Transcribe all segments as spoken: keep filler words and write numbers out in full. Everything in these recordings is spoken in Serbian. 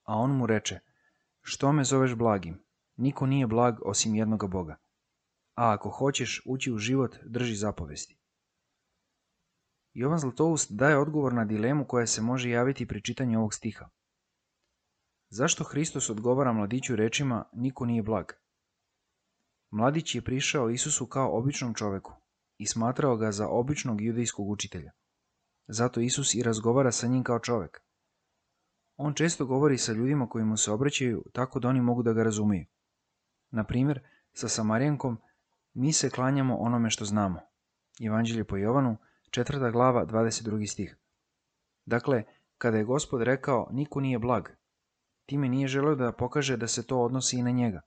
A on mu reče, što me zoveš blagim? Niko nije blag osim jednoga Boga. A ako hoćeš ući u život, drži zapovesti. Jovan Zlatoust daje odgovor na dilemu koja se može javiti pri čitanju ovog stiha. Zašto Hristos odgovara mladiću rečima niko nije blag? Mladić je prišao Isusu kao običnom čoveku i smatrao ga za običnog judejskog učitelja. Zato Isus i razgovara sa njim kao čovek. On često govori sa ljudima koji mu se obraćaju tako da oni mogu da ga razumiju. Na primjer, sa Samarijankom mi se klanjamo onome što znamo. Evanđelje po Jovanu, četvrta glava, dvadeset drugi stih. Dakle, kada je Gospod rekao niko nije blag, time nije želeo da pokaže da se to odnosi i na njega.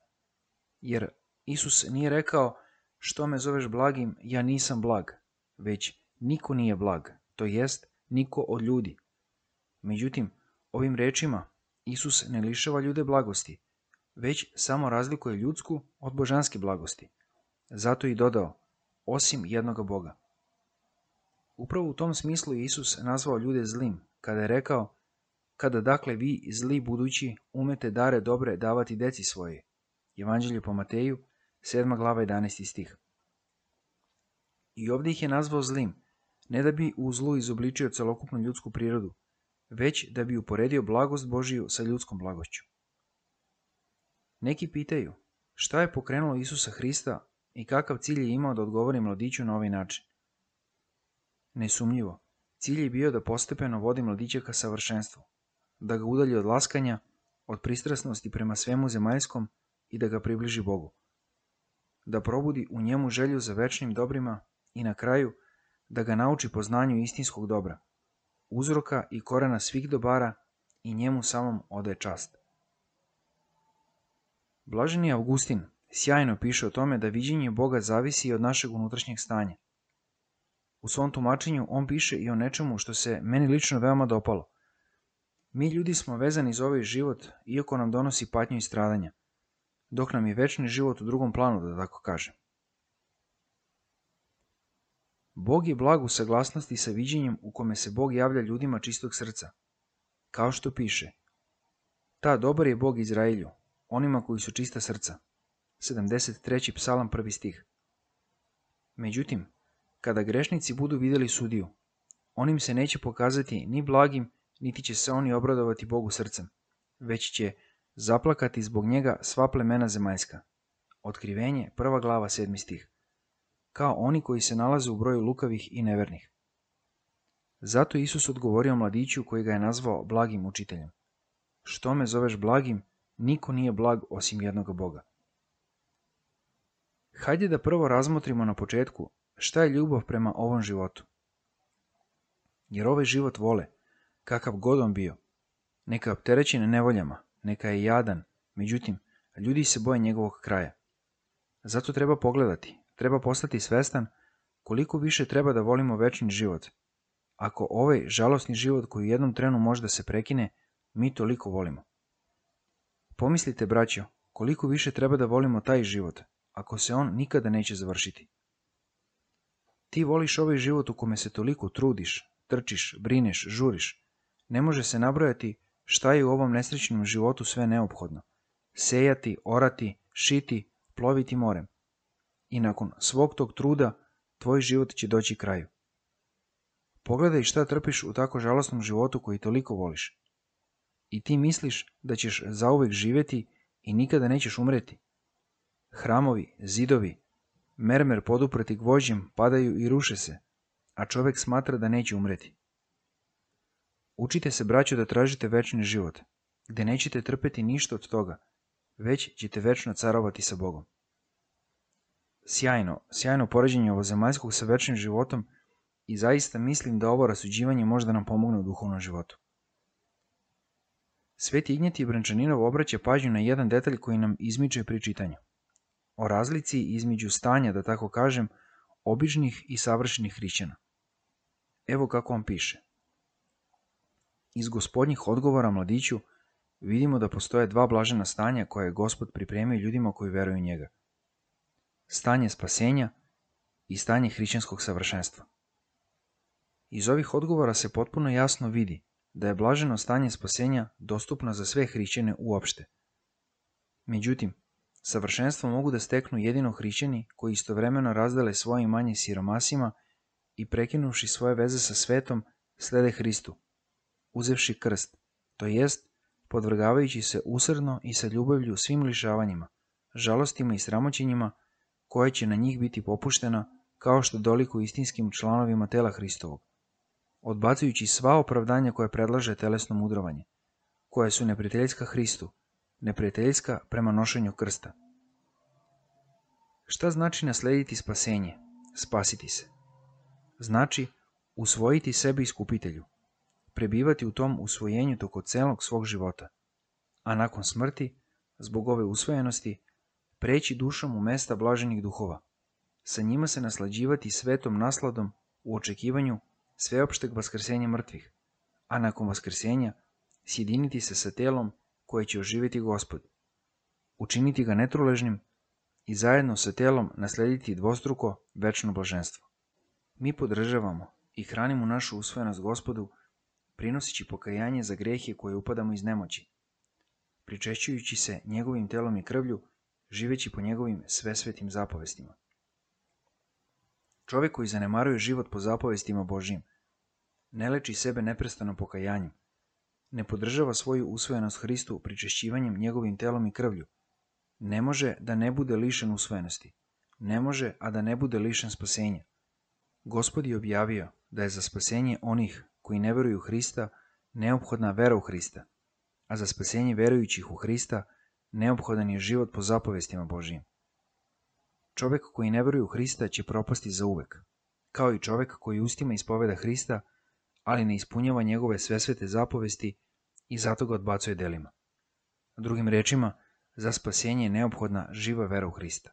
Jer Isus nije rekao što me zoveš blagim, ja nisam blag, već niko nije blag, to jest niko od ljudi. Međutim, ovim rečima Isus ne lišava ljude blagosti, već samo razlikuje ljudsku od božanske blagosti. Zato i dodao, osim jednoga Boga. Upravo u tom smislu je Isus nazvao ljude zlim, kada je rekao, kada dakle vi zli budući umete dare dobre davati deci svoje. Evanđelje po Mateju, sedma glava, jedanaesti stih. I ovdje ih je nazvao zlim, ne da bi u zlu izobličio celokupnu ljudsku prirodu, već da bi uporedio blagost Božiju sa ljudskom blagošću. Neki pitaju, šta je pokrenulo Isusa Hrista i kakav cilj je imao da odgovori mladiću na ovaj način? Nesumnjivo, cilj je bio da postepeno vodi mladića ka savršenstvu, da ga udalji od laskanja, od pristrasnosti prema svemu zemaljskom i da ga približi Bogu, da probudi u njemu želju za večnim dobrima i na kraju da ga nauči poznanju istinskog dobra, uzroka i korena svih dobara i njemu samom odaje čast. Blaženi Augustin sjajno piše o tome da viđenje Boga zavisi i od našeg unutrašnjeg stanja. U svom tumačenju on piše i o nečemu što se meni lično veoma dopalo. Mi ljudi smo vezani za ovaj život, iako nam donosi patnju i stradanja, dok nam je večni život u drugom planu, da tako kažem. Bog je blag u saglasnosti sa viđenjem u kome se Bog javlja ljudima čistog srca. Kao što piše, ta dobar je Bog Izraelju, onima koji su čista srca. sedamdeset treći psalam, prvi stih. Međutim, kada grešnici budu vidjeli sudiju, on im se neće pokazati ni blagim, niti će se oni obradovati Bogu srcem, već će zaplakati zbog njega sva plemena zemaljska. Otkrivenje, prva glava, sedmi stih. Kao oni koji se nalaze u broju lukavih i nevernih. Zato Isus odgovorio mladiću koji ga je nazvao blagim učiteljem. Što me zoveš blagim? Niko nije blag osim jednoga Boga. Hajde da prvo razmotrimo na početku šta je ljubav prema ovom životu. Jer ovaj život vole, kakav god on bio, neka je opterećen nevoljama, neka je jadan, međutim, ljudi se boje njegovog kraja. Zato treba pogledati, treba postati svestan koliko više treba da volimo večni život. Ako ovaj žalosni život koji u jednom trenu može da se prekine, mi toliko volimo. Pomislite, braćo, koliko više treba da volimo taj život, ako se on nikada neće završiti. Ti voliš ovaj život u kome se toliko trudiš, trčiš, brineš, žuriš. Ne može se nabrojati šta je u ovom nesrećnom životu sve neophodno. Sejati, orati, šiti, ploviti morem. I nakon svog tog truda, tvoj život će doći kraju. Pogledaj šta trpiš u tako žalosnom životu koji toliko voliš. I ti misliš da ćeš zauvek živjeti i nikada nećeš umreti. Hramovi, zidovi, mermer poduprti gvožđem padaju i ruše se, a čovjek smatra da neće umreti. Učite se, braćo, da tražite večni život, gdje nećete trpeti ništa od toga, već ćete večno carovati sa Bogom. Sjajno, sjajno poređenje ovozemaljskog sa večnim životom i zaista mislim da ovo rasuđivanje može da nam pomogne u duhovnom životu. Sveti Ignjatij Brančaninov obraća pažnju na jedan detalj koji nam izmiče pri čitanju. O razlici između stanja, da tako kažem, običnih i savršenih hrišćana. Evo kako on piše. Iz Gospodnjih odgovora mladiću vidimo da postoje dva blažena stanja koje je Gospod pripremio ljudima koji veruju u njega. Stanje spasenja i stanje hrišćanskog savršenstva. Iz ovih odgovora se potpuno jasno vidi da je blaženo stanje spasenja dostupno za sve hrišćane uopšte. Međutim, savršenstvo mogu da steknu jedino hrišćani koji istovremeno razdele svoje imanje siromasima i prekinuvši svoje veze sa svetom, slede Hristu, uzevši krst, to jest podvrgavajući se usrdno i sa ljubavlju svim lišavanjima, žalostima i sramoćenjima koje će na njih biti popuštena kao što doliku istinskim članovima tela Hristovog, odbacujući sva opravdanja koje predlaže telesno mudrovanje, koje su neprijateljska Hristu, neprijateljska prema nošenju krsta. Šta znači naslediti spasenje, spasiti se? Znači usvojiti sebe iskupitelju, prebivati u tom usvojenju toko celog svog života, a nakon smrti, zbog ove usvojenosti, preći dušom u mesta blaženih duhova, sa njima se naslađivati svetom nasladom u očekivanju sveopšteg vaskrsenja mrtvih, a nakon vaskrsenja sjediniti se sa telom koje će oživjeti Gospod, učiniti ga netruležnim i zajedno sa telom naslediti dvostruko večno blaženstvo. Mi podržavamo i hranimo našu usvojenost Gospodu, prinosići pokajanje za grehe koje upadamo iz nemoći, pričešćujući se njegovim telom i krvlju, živeći po njegovim svesvetim zapovestima. Čovjek koji zanemaruje život po zapovestima Božijim, ne leči sebe neprestano pokajanjem, ne podržava svoju usvojenost Hristu pričešćivanjem njegovim telom i krvlju, ne može da ne bude lišen usvojenosti, ne može a da ne bude lišen spasenja. Gospod je objavio da je za spasenje onih koji ne veruju u Hrista neophodna vera u Hrista, a za spasenje verujućih u Hrista neophodan je život po zapovestima Božijim. Čovjek koji ne veruje u Hrista će propasti zauvek, kao i čovjek koji ustima ispoveda Hrista, ali ne ispunjava njegove svesvete zapovesti i zato ga odbacuje delima. Drugim rečima, za spasenje je neophodna živa vera u Hrista.